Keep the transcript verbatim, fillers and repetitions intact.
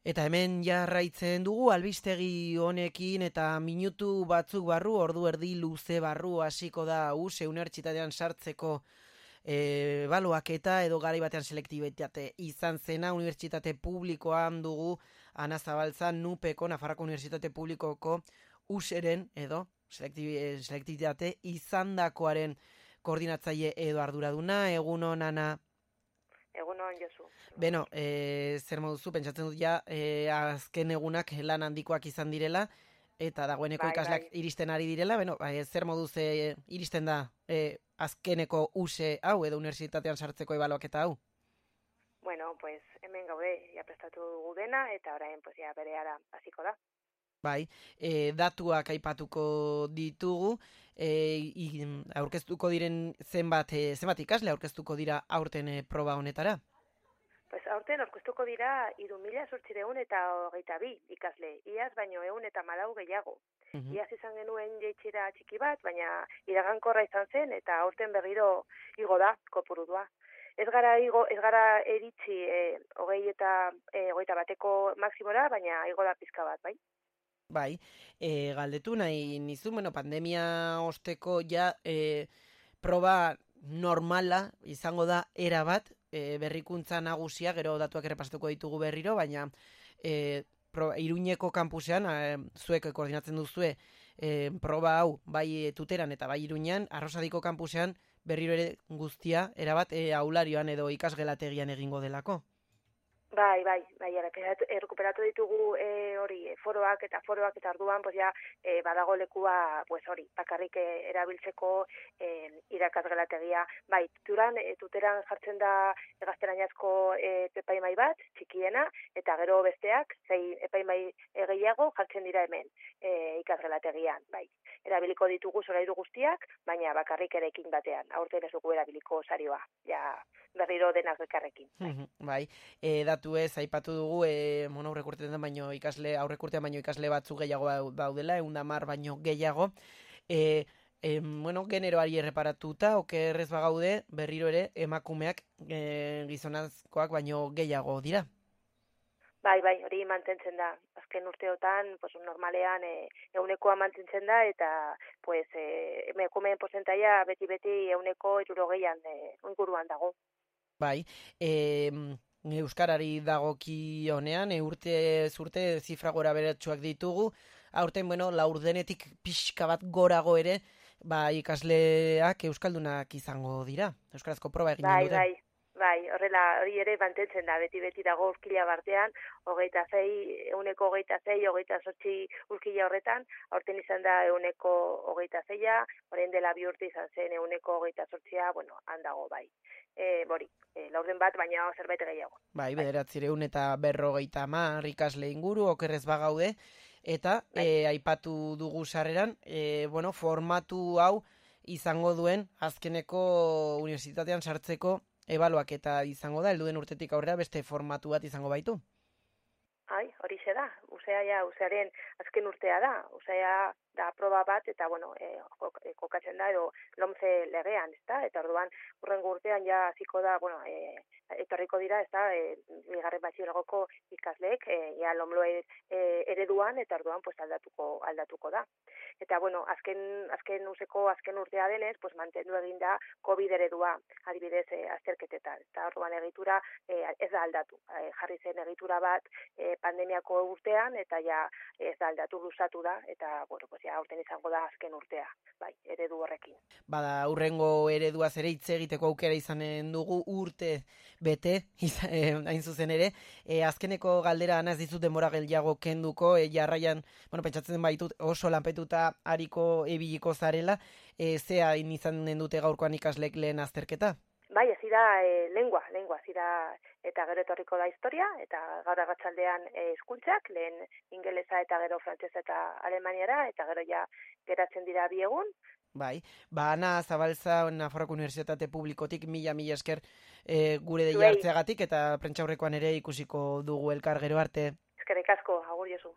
Eta hemen jarraitzen dugu albistegi honekin eta minutu batzuk barru, ordu erdi luze barru hasiko da U S E unibertsitatean sartzeko e, ebaluaketa edo garai batean selektibitate izan zena unibertsitate publikoan dugu Ana Zabalza Nupeko Nafarroako Unibertsitate Publikoko U S E-ren edo selektibitate izandakoaren koordinatzaile edo arduraduna. Egunon, Ana. Egunon, Josu. Beno, e, zer moduzu, pentsatzen dut ja, e, azken egunak lan handikoak izan direla, eta dagoeneko bai, ikasleak bai. iristen ari direla, beno, bai, zer moduz e, iristen da e, azkeneko U S E hau, edo unibertsitatean sartzeko ebaluaketa hau? Bueno, pues hemen gaude, ja prestatu dugu dena, eta orain, pues ja berehala hasiko da. Bai, e, datuak aipatuko ditugu, e, i, aurkeztuko diren zenbat, e, zenbat ikasle aurkeztuko dira aurten e, proba honetara? Pues aurten aurkeztuko dira hiru mila zortziehun eta hogeita bi ikasle, iaz baino ehun eta hamalau gehiago. Mhm. Iaz izan genuen jeitxera txiki bat, baina iragankorra izan zen, eta aurten berriro igo da kopurua. Ez gara igo, ez gara eritzi e, hogei eta e, hogeita bateko maksimora, baina igo da pizka bat, bai? Bai, e, galdetu nahi nizu, bueno, pandemia osteko ja e, proba normala izango da era bat, e, berrikuntza nagusia, gero datuak ere pasatuko ditugu berriro, baina e, pro, Iruñeko kampusean, e, zuek koordinatzen duzue e, proba hau, bai Tuteran eta bai Iruñean, Arrosadiko kampusean berriro ere guztia, erabat e, aularioan edo ikasgelategian egingo delako. Bai, bai, bai, errekuperatu ditugu e, hori, foroak eta foroak eta orduan, pues ja, e, badago lekua, pues hori, bakarrik e, erabiltzeko e, irakasgelategia. Bai, tuteran, e, tuteran jartzen da gaztelaniazko e, epaimai bat, txikiena, eta gero besteak, zei epaimai gehiago jartzen dira hemen e, ikasgelategian, bai. Erabiliko ditugu solairu guztiak, baina bakarrik erekin batean. Aurten ez dugu erabiliko sarioa, ja, berriro denak bekarrekin. Bai, bai. E, datu ez, aipatu dugu, e, bueno, aurrekurtean baino ikasle, aurrekurtean baino ikasle batzu gehiago daudela, ehun eta hamar baino gehiago. E, e, bueno, generoari erreparatuta, okerrez bagaude, berriro ere, emakumeak e, gizonazkoak baino gehiago dira. Bai, bai, hori mantentzen da. Azken urteotan, pues, normalean e, eunekoa mantentzen da, eta pues, e, emakumeen porcentaia beti-beti euneko hirurogeian e, inguruan dago. Bai, e, euskarari dagoki honean, e, urte zurte zifra gora beratsuak ditugu, aurten, bueno, laurdenetik pixka bat gorago ere, ba, ikasleak euskaldunak izango dira, euskarazko proba egin bai, dute. Bai, bai, horrela, hori ere mantentzen da, beti-beti dago urkila bartean, hogeita zei, euneko hogeita zei, hogeita zortzi urkila horretan, aurten izan da euneko hogeita zeia, orain dela bi urte izan zen euneko hogeita zortzia, bueno, handago bai. E, bori, e, laurden bat, baina zerbait gehiago. Bai, bederatzireun eta berrogeita hamar ikasle inguru, okerrez bagaude, eta bai. e, aipatu dugu sarreran, e, bueno, formatu hau izango duen azkeneko unibertsitatean sartzeko ebaluaketa izango da, helduen urtetik aurrera beste formatu bat izango baitu. Ai, hori ze da, usea ja, usearen azken urtea da, usea da proba bat, eta, bueno, e, kokatzen da, edo lomce legean, ez da, eta orduan, urrengo urtean ja hasiko da, bueno, e, etorriko dira, ez da, e, bigarren batxilergoko ikasleek, e, ja lomloe e, ereduan, eta orduan, pues, aldatuko, aldatuko da. Eta, bueno, azken, azken useko, azken urtea denez, pues, mantendu egin da COVID eredua, adibidez, e, azterketetan, eta orduan egitura e, ez da aldatu, e, jarri zen egitura bat, e, pandemiako urtean, eta ja ez da aldatu luzatu da, eta, bueno, pues, ja, aurten izango da azken urtea, bai, eredu horrekin. Bada, urrengo eredua ere hitz egiteko aukera izanen dugu urte bete, izan, eh, hain zuzen ere, e, azkeneko galdera anaz dizut denbora gehiago kenduko, e, jarraian, bueno, pentsatzen baitut oso lanpetuta hariko ebiliko zarela, e, zea izanen dute gaurkoan ikaslek lehen azterketa? Bai, ez da e, lengua, lengua, ez da, eta gero etorriko da historia, eta gaur arratsaldean e, hizkuntzak, lehen ingelesa eta gero frantsesa eta alemaniara, eta gero ja geratzen dira bi egun. Bai, ba, Ana Zabalza, Nafarroako Unibertsitate Publikotik, mila, mila esker e, gure deia hartzeagatik, eta prentsaurrekoan ere ikusiko dugu elkar gero arte. Eskerrik asko, agur Josu.